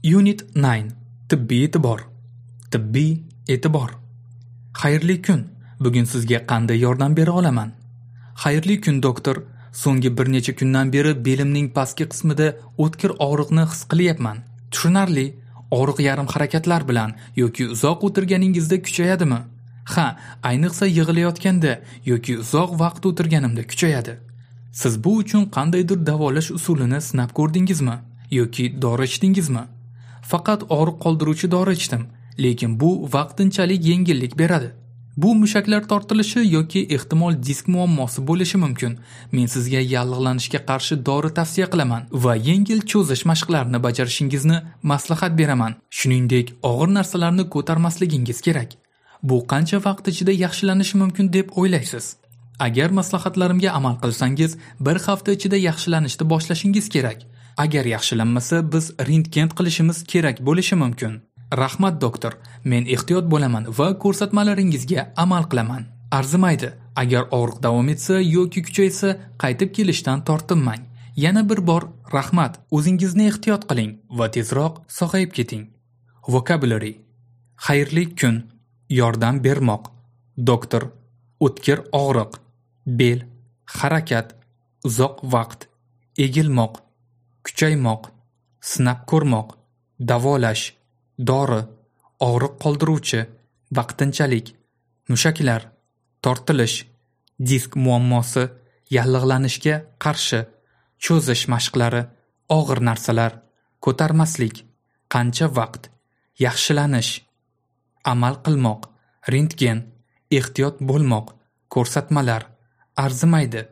Unit 9. Tibbiy e'tibor. Tibbiy e'tibor. Xayrli kun. Bugun sizga qanday yordam bera olaman? Xayrli kun, doktor. So'nggi bir necha kundan beri belimning pastki qismida o'tkir og'riqni his qilyapman. Tushunarli. Og'riq yarim harakatlar bilan yoki uzoq o'tirganingizda kuchayadimi? Ha, ayniqsa yig'ilayotganda yoki uzoq vaqt o'tirganimda kuchayadi. Siz bu uchun qandaydir davolash usulini sinab ko'rdingizmi yoki dori ichdingizmi? Faqat og'riq qoldiruvchi dori ichdim, lekin bu vaqtinchalik yengillik beradi. Bu mushaklar tortilishi yoki ehtimol disk muammosi bo'lishi mumkin. Men sizga yallig'lanishga qarshi dori tavsiya qilaman va yengil cho'zish mashqlarini bajarishingizni maslahat beraman. Shuningdek, og'ir narsalarni ko'tarmasligingiz kerak. Bu qancha vaqt ichida yaxshilanishi mumkin deb o'ylaysiz? Agar maslahatlarimga amal qilsangiz, bir hafta ichida yaxshilanishni boshlashingiz kerak. Agar yaxshilanmasa, biz rentgen qilishimiz kerak bo'lishi mumkin. Rahmat, doktor. Men ehtiyot bo'laman va ko'rsatmalaringizga amal qilaman. Arzimaydi. Agar og'riq davom etsa yoki kuchaysa, qaytib kelishdan tortinmang. Yana bir bor rahmat. O'zingizni ehtiyot qiling va tezroq sog'ayib keting. Vocabulary. Xayrli kun, yordam bermoq, doktor, o'tkir og'riq, bel, harakat, uzoq vaqt, egilmoq, kuchaymoq, sinab ko'rmoq, davolash, dori, og'riq qoldiruvchi, vaqtinchalik, mushaklar, tortilish, disk muammosi, yallig'lanishga qarshi, cho'zish mashqlari, og'ir narsalar, ko'tarmaslik, qancha vaqt, yaxshilanish, amal qilmoq, rentgen, ehtiyot bo'lmoq, ko'rsatmalar, arzimaydi,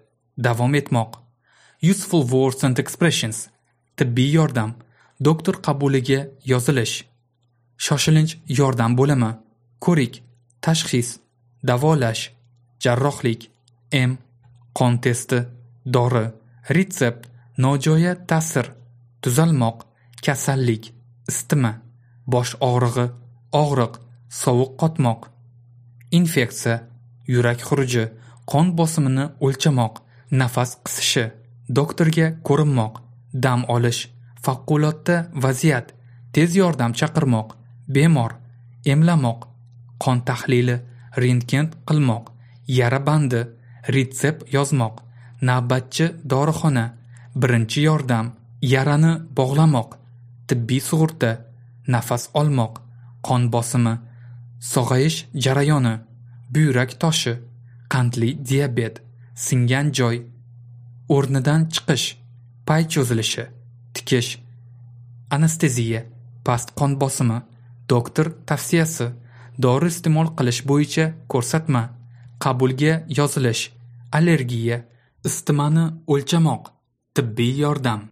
davom etmoq. Useful words and expressions. Tibbiy yordam, doktor qabuliga yozilish, shoshilinch yordam bo'limi, ko'rik, tashxis, davolash, jarrohlik, em, qon testi, dori, retsept, nojo'ya ta'sir, tuzalmoq, kasallik, isitma, bosh og'rig'i, og'riq, sovuq qotmoq, infeksiya, yurak xuruji, qon bosimini o'lchamoq, nafas qisishi, doktorga ko'rinmoq, dam olish, favqulodda vaziyat, tez yordam chaqirmoq, bemor, emlamoq, qon tahlili, rentgen qilmoq, yara bandi, retsept yozmoq, navbatchi dorixona, birinchi yordam, yarani bog'lamoq, tibbiy sug'urta, nafas olmoq, qon bosimi, sog'ayish jarayoni, buyrak toshi, qandli diabet, singan joy, o'rnidan chiqish, pay cho'zilishi, tikish, anesteziya, past qon bosimi, doktor tavsiyasi, dori iste'mol qilish bo'yicha ko'rsatma, qabulga yozilish, allergiya, isitmani o'lchamoq, tibbiy yordam.